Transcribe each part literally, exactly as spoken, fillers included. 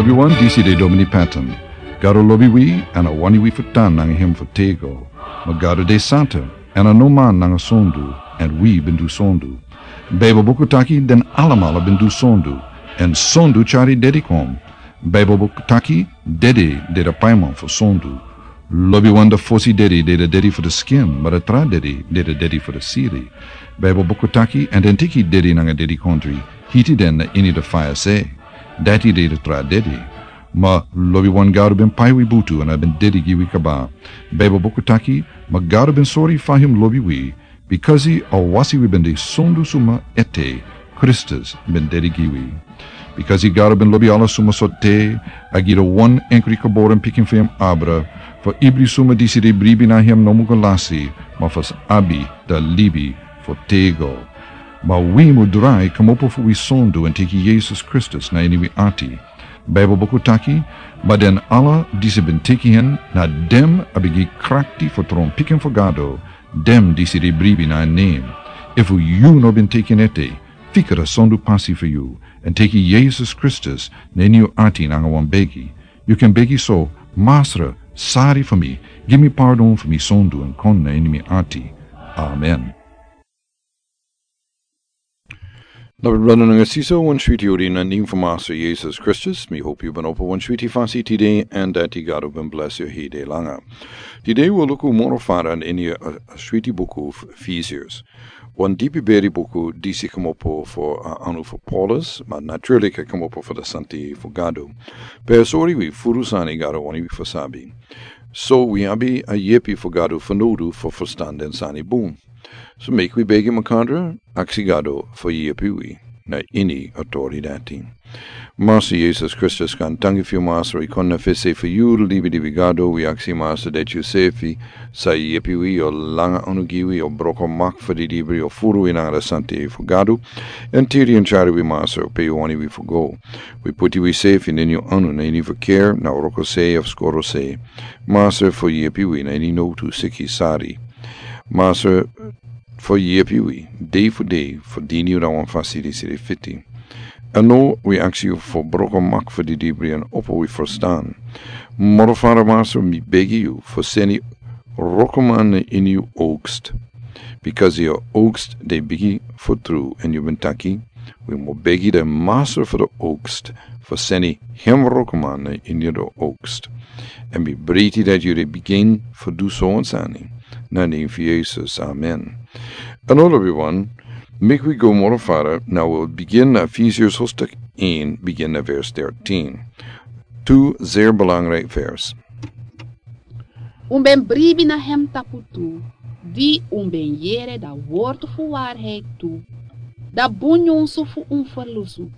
Wi wan disi de Domini Patton. Gado lobi wi, èn a wani wi fu tan nanga hem fu tego. Ma Gado de santa, èn a no man nanga sondu, èn wi ben du sondu. Baibel buku taki den alamala ben du sondu, èn sondu tyari dedi kon. Baibel buku taki dedi de da paiman fu sondu. Lobi wan da fosi dedi de da dedi fu da skin, ma da tra dedi de da dedi fu da siri. Baibel buku taki, èn den tiki dedi nanga dedi kondri, hiti den na ini da faya se. Dati de da tra dedi. Ma lobi wan Gado ben pai wi butu èn a ben dedi gi wi kaba. Baibel buku taki, ma Gado ben sori fa hem lobi wi, bikasi a wasi wi ben de sondu suma ete, Kristus ben dedi gi wi. Bikasi Gado ben lobi ala suma so te, a gi da wan enkri geboren pikin fu hem abra, fu ibri suma disi de bribi na hem no mu go lasi, ma fu abi da libi fu tego. Ma wi mu drai kmopo fu wi sondu èn teki Yesus Kristus na ini wi ati. Baibel buku taki, ma den ala disi ben teki hen, na dem a ben gi krakti fu tron pikin fu Gado, dem disi de bribi na en nen. Efu yu no ben teki en ete, fika da sondu pasi fu yu, èn teki Yesus Kristus na ini yu ati nanga wan begi. Yu kan begi so, Masra, sari fu mi, gi mi pardon fu mi sondu èn kon na ini mi ati. Amen. Lobi brada nanga sisa, wan switi odi na nen fu Masra Yesus Kristus. Mi hopi yu ben opo wan switi fasi tide, èn dati Gado ben blesi yu hede langa. Tide wi o luku moro fara na ini a, a switi buku fu Efesios. Wan dipi beri buku disi kmopo fu a anu fu Paulus, ma naturlik a kmopo fu da santa yeye fu Gado. Pe a sori wi furu sani Gado wani wi fu sabi. So wi abi a yepi fu Gado fanowdu fu furstan den sani bun. So meki wi begi makandra, aksi Gado fu yepi wi na ini a tori dati. Masra Yesus Kristus, gaantangi fu yu Masra, wi kon na fesi fu yu, libi di wi Gado, wi aksi Masra dati yu sefi sa yepi wi, yu o langa anu gi wi, yu o broko mak fu didibri, yu o furu wi nanga da santa yeye fu Gado, èn tiri èn tyari wi Masra pe yu wani wi fu go. Wi puti wi sefi na ini yu anu, na ini fu ker, na wroko se of skoro se. Masra fu yepi wi na ini nowtu, siki, sari. Masra fu yepi wi dei fu dei fu dini yu na wan fasi disi de fiti. Èn now wi aksi yu fu broko mak fu didibri èn opo wi furstan. Moro fara Masra, mi begi yu fu seni wrokoman na ini yu oogst. Bikasi yu oogst de bigi fu tru, èn yu ben taki, wi mu begi da Masra fu da oogst fu seni hem wrokoman na ini da oogst. Èn mi breiti dati yu de bigin fu du so wan sani. Na nen fu Yesus, amen. Èn now lobi wan, meki wi go moro fara, now wi o bigin na Efesios hofstuk een, bigin na vers dertien. Tu zeer belangrijk vers. Un ben bribi na hem tapu tu, di un ben yere da wortu fu waarheid tu, da bun nyunsu fu un ferlusu.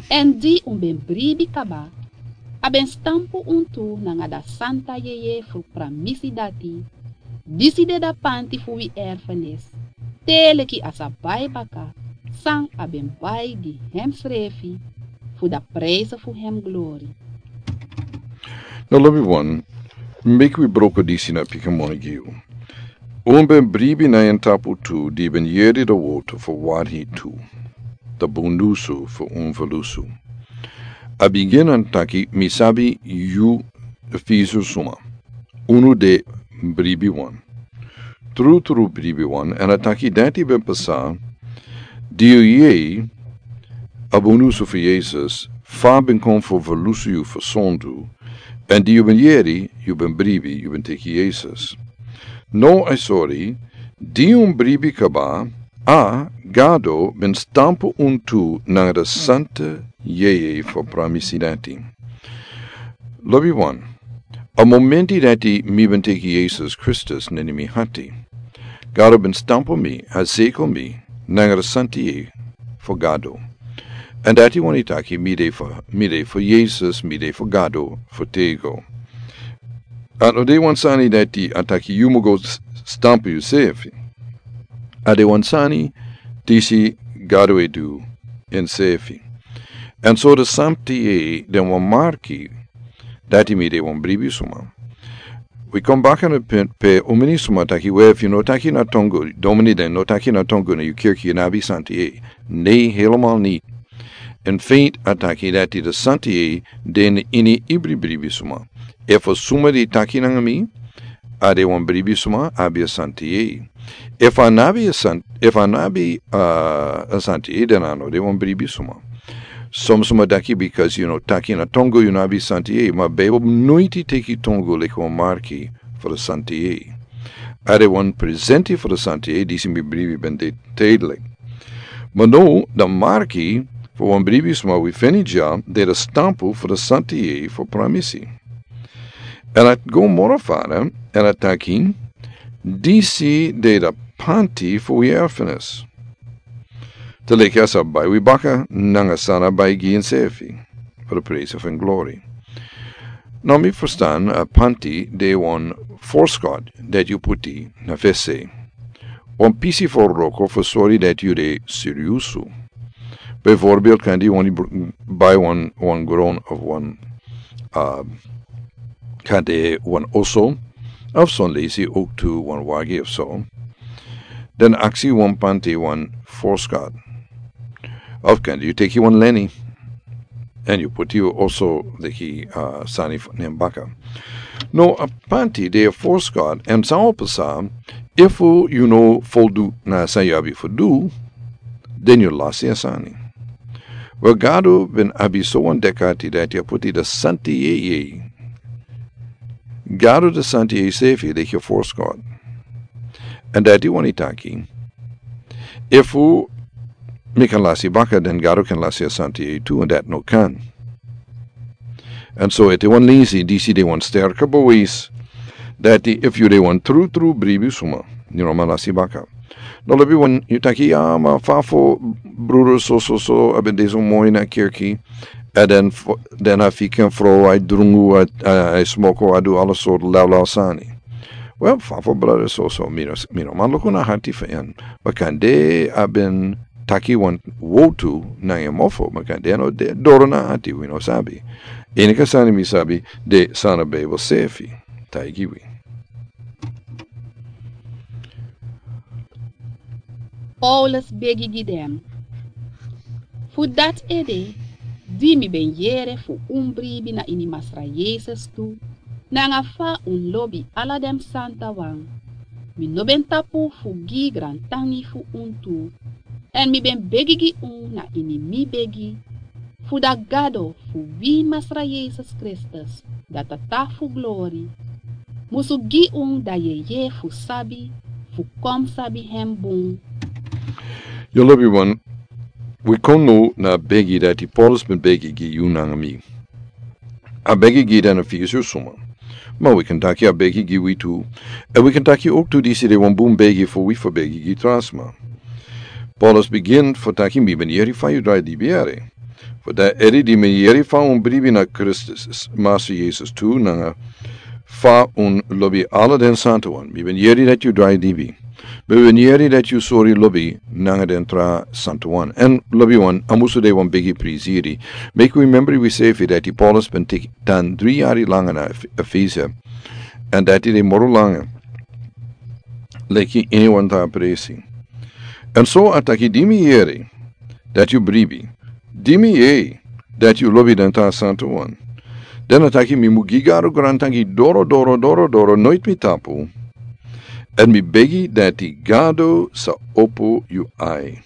Èn di un ben bribi kaba, a ben stampu un tu nanga da santa yeye fu pramisi dati, disi de da panti fu wi erfenis, te leki a sa bai baka, san a ben bai gi hemsrefi, fu da prijse fu hem glori. Now lobi wan, meki wi broko disi na pikin moni gi yu. Un ben bribi na en tapu tu di ben yere da wortu fu waarheid tu, da bun nyunsu fu un ferlusu. A bigin èn taki, mi sabi yu Efesius suma. Unu de bribi wan. Trutru bribi wan, èn a taki dati ben pasa, di yu yere a bun nyunsu fu Yesus, fa a ben kon fu ferlusu yu fu sondu, èn di yu ben yere, yu ben bribi, yu ben teki Yesus. Now a sori, di un bribi kaba, a Gado ben stampu un tu nanga da santa yeye fu pramisi dati. Lobi wan, a momenti dati mi ben teki Yesus Kristus na ini mi hati, Gado ben stampu mi, a seko mi, nanga da santa yeye fu Gado. Èn dati wani taki mi de fu, mi de fu Yesus, mi de fu Gado fu tego. A no de wan sani dati a taki yu mu go s-, stampu yusefi. A de wan sani disi Gado e du ensefi. Èn so da santa yeye de wan marki dati mi de wan bribi suma. Wi kon baka na pe, pe un meni suma taki we, efu yu no taki na tongo, domini den no taki na tongo na yu kerki, yu no abi santa yeye. Nee, helemaal niet. En feit a taki dati de santa yei de ini ibri bribi suma. Efu suma di taki nanga mi, a de wan bribi suma abi a santa yei. Efu a nabi a san efu a nabi a santa yei, den a no de wan bribi suma. Som suma daki, bikasi yu no taki na tongo, yu no abi santa yei. Ma Bijbel noiti teki tongo leki wan marki fu de santa yei. A de wan presenti fu de santa yei, disi mi bribi ben de teidelik. Ma no, de marki fu wan bribi suma wi feni dya de de stampu fu de santa yei fu pramisi. En a go moro fara, en a taki, disi de de panti fu wi erfenis. Te leki a sa bai wi baka nanga san a bai gi ensefi fu de presi fu en glori. No, mi ferstan a panti de wan forskot dati yu puti na fesi. Wan pisi fu wroko fu sori dati yu de siriusu. Bijvoorbeeld kan di wan bai wan wan gron of wan, kan de wan oso of son lesi ook tu wan wagi of so. Dan aksi wan panti wan forskot. Of kan yu teki wan leni en yu puti yu oso leki sani fu nen baka. No, a panti de a forskot, en san o pasa efu yu no foldu na san yu abi fu du, den yu lasi a sani. Wel, Gado ben abi so wan dekati dati a puti de santa yei. Gado de santa yei sefi leki a forskot. En dati wani taki, efu mi kan lasi baka, den Gado kan lasi a santa yei tu, en dati no kan. En so ete wan lesi disi de wan sterke bewijs dati efu yu de wan trutru bribi suma, yu no man lasi baka. No, lobi wan yu taki, ya, ma fa fu bruder so so so a ben de so moi na kerki, en den a fika en frow, a e drungu, a e smoko, a du ala sortu lawlaw sani. Wel, fa fu bruder so so, mi no man luku na hati fu en. Ma kande a ben taki wan wotu nanga en mofo, ma kande a no de doro na hati, wi no sabi. Enige sani mi sabi de san a Bijbel sefi taigi wi. Paulus begi gi den. Fu dati ede, di mi ben yere fu un bribi na ini Masra Yesus tu, nanga fa un lobi ala den santa wan, mi no ben tapu fu gi grantangi fu un tu. En mi ben begi gi un na ini mi begi, fu da Gado fu wi Masra Yesus Kristus, da Tata fu glori, musu gi un da yeye fu sabi, fu kon sabi hem bun. Yu lobi wan, wi kon now na a begi dati Paulus ben begi gi yu nanga mi. A begi gi den Efesus suma. Ma wi kan taki a begi gi wi tu. En wi kan taki ook tu disi de wan bun begi fu wi fu begi gi tra sma. Paulus bigin fu taki, mi ben yere fa yu drai libi yere. Fu da ede di mi yere fa un bribi na Kristus, Masra Yesus tu, nanga fa un lobi ala den santa wan. Mi ben yere dati yu drai libi. Mi ben yere dati yu sori lobi nanga den tra santa wan. En lobi wan, a musu de wan bigi prisiri. Meki wi membri wi sefi dati Paulus ben teki tan dri yari langa na Efesia. En dati de moro langa leki ini wan tra presi. En so a taki, di mi yere dati yu bribi, di mi yere dati yu lobi den tra santa wan, den a taki mi mu gi Gado grantangi doro doro doro doro, noiti mi tapu. En mi begi dati Gado sa opo yu ai.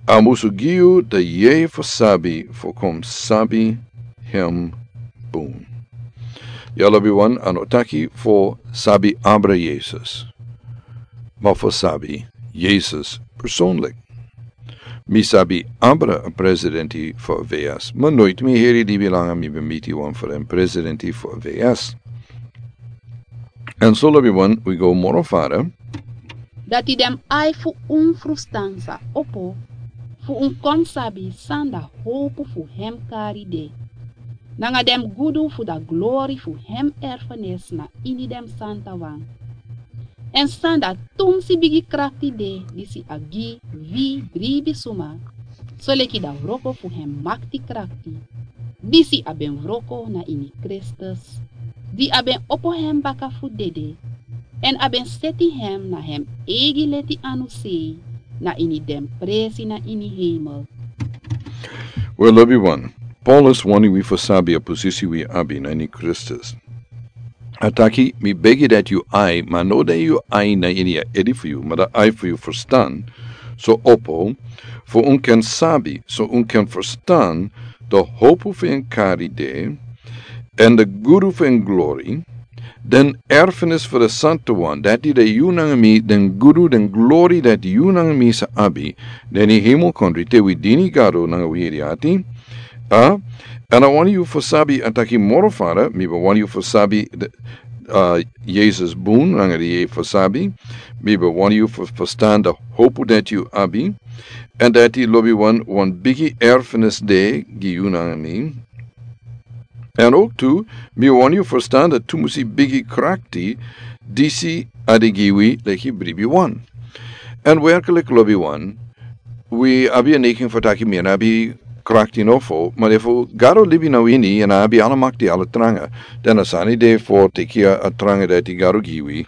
A musu gi yu da yeye fu sabi fu kon sabi hem bun. Ya lobi wan, a no taki fu sabi abra Yesus, ma fu sabi Yesus personlik. Mi sabi abra a presidenti fu a V S, ma noiti mi heri libi langa mi ben miti wan fu den presidenti fu a V S. En so lobi wan, wi go moro fara. Dati den ai fu un frustan sa opo, fu un kon sabi san da howpu fu hem kari de, nanga den gudu fu da glori fu hem erfenis na ini den santa wan. En san da tumsi bigi krakti de disi a gi wi bribi suma, soleki da wroko fu hem makti krakti, disi a ben wroko na ini Kristus, di a ben opo hem baka fu dede, en a ben seti hem na hem eigi leti anu sei, na ini den presi na ini heimel. Wel, lobiwan, Paulus wani wi fu sabi a posisi wi abi na ini Kristus. A taki, mi begi dati yu ai, ma no dati yu ai na ini a edi fu yu, ma dati ai fu yu ferstan, so opo, fu un kan sabi, so un kan ferstan, de hopu fu en kari de, èn de gudu fu en glori, den erfenis fu de santu wan, dati de yu nanga mi, den gudu, den glori dati yu nanga mi sa abi, den ini hemel kondre te wi dini Gado nanga wi edi ati. A, èn a wani yu fu sabi a taki moro fara, mi ben wani yu fu sabi, a, Yesus bun nanga di yu fu sabi, mi ben wani yu fu ferstan de hopu dati yu abi, èn dati lobiwan, wan bigi erfenis de gi yu nanga mi. Èn ook tu, mi wani yu ferstan dati tu musi bigi krakti, disi a de gi wi leki bribi wan. Èn werklik lobiwan, wi abi a neiging fu taki mi no abi krakti nofo, ma efu Gado libi na wi ini, èn a abi ala makti, ala tranga, dan a sani de fu teki a tranga dati Gado gi wi,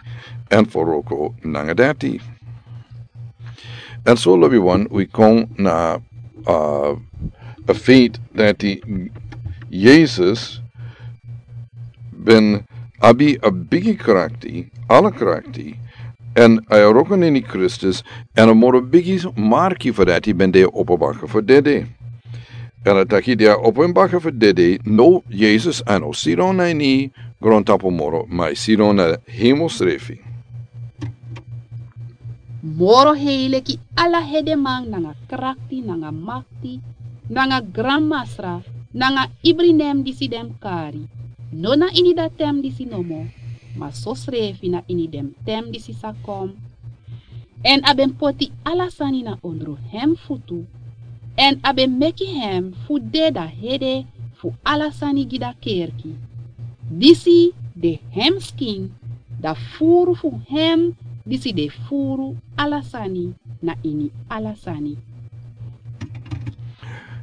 èn fu wroko nanga dati. Èn so lobiwan, wi kon na, a, a feit dati Yesus ben abi a bigi krakti, ala krakti, èn a wroko na ini Kristus, èn a moro bigi marki fu dati ben de opo baka fu dede. Èn a taki di a opo en baka fu dede, no Yesus a no sidon na ini grontapu moro, ma a sidon na hemel srefi. Moro hei leki ala hedeman nanga krakti, nanga makti, nanga granmasra, nanga ibri nen disi den kari. No na ini dati ten disi nomo, ma sosrefi na ini den ten disi sa kon. Èn a ben poti ala sani na ondro hem futu, èn a ben meki hem fu de da hede fu ala sani gi da kerki. Disi de hem skin, da furu fu hem, disi de furu ala sani na ini ala sani.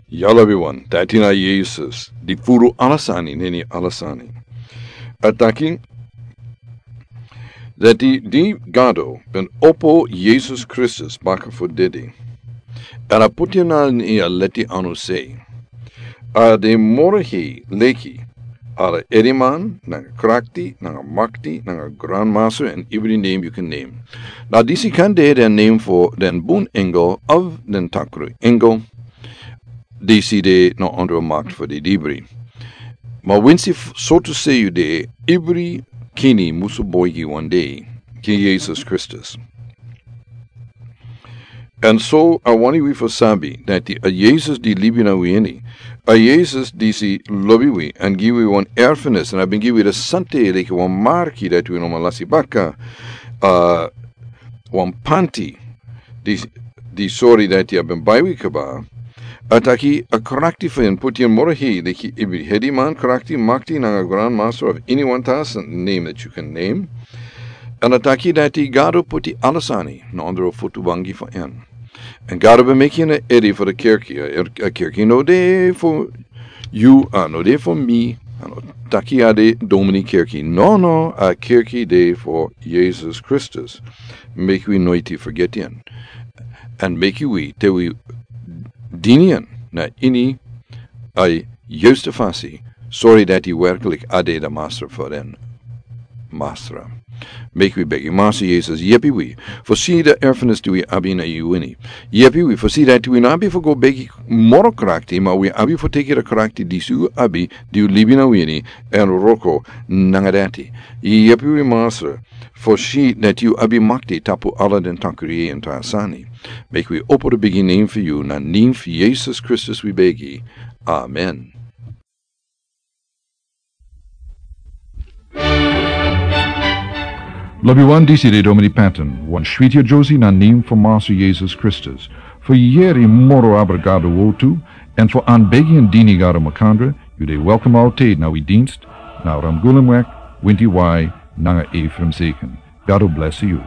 Ya lobiwan, dati na Yesus, di furu ala sani na ini ala sani. A taki, dati di Gado ben opo Yesus Kristus baka fu dede. Èn a poti en na ini a leti anu sei. A de moro hei leki ala ediman, nanga krakti, nanga makti, nanga granmasra, èn ibri nen yu kan nen. Na disi kan de den nen fu den bun engel of den takru engel. Disi de na ondro makti fu di dibri. Ma winsi f-, so tu sei yu de, ibri kini musu boigi wan dei, King Yesus Kristus. Èn so a wani wi fu sabi, dati a Yesus di libi na wi ini, a Yesus disi lobi wi, èn gi wi wan erfenis, èn a ben gi wi de sante leki wan marki dati wi no man lasi baka, a, wan panti, di, di sori dati a ben bai wi kaba, a taki a krakti fu en poti en moro hei, leki ibri ediman, krakti, makti, nanga granmasra of ini wan tasi nen dati yu kan nen. Èn a taki dati Gado poti ala sani na ondro futu bangi fu en. Èn Gado ben meki en a edi fu de kerki, a, a kerki no de fu yu, a no de fu mi, a no taki a de domini kerki. No, no, a kerki de fu Yesus Kristus. Meki wi noiti fergeti en. Èn meki wi, te wi dini en na ini a yusta fasi, sori dati werklik a de de masra fu den masra. Meki wi begi, Masra Yesus, yepi wi fu si de erfenis di wi abi na yu ini. Yepi wi fu si dati wi no abi fu go begi moro krakti, ma wi abi fu teki de krakti disi yu abi, di yu libi na wi ini, èn wroko nanga dati. Yepi wi Masra, fu si dati yu abi makti tapu ala den takri èn tra sani. Meki wi opo de bigi nen fu yu, na nen fu Yesus Kristus wi begi. Amen. Lobiwan, disi de Domini Patton, wan switi a Josie na nen fu Masra Yesus Kristus. Fu yere moro abra Gado wortu, èn fu anbegi èn dini Gado makandra, yu de welkom altijd na wi dienst, na Ramgulumweg, winti wai, nanga Ephraim Zeken. Gado bless yu.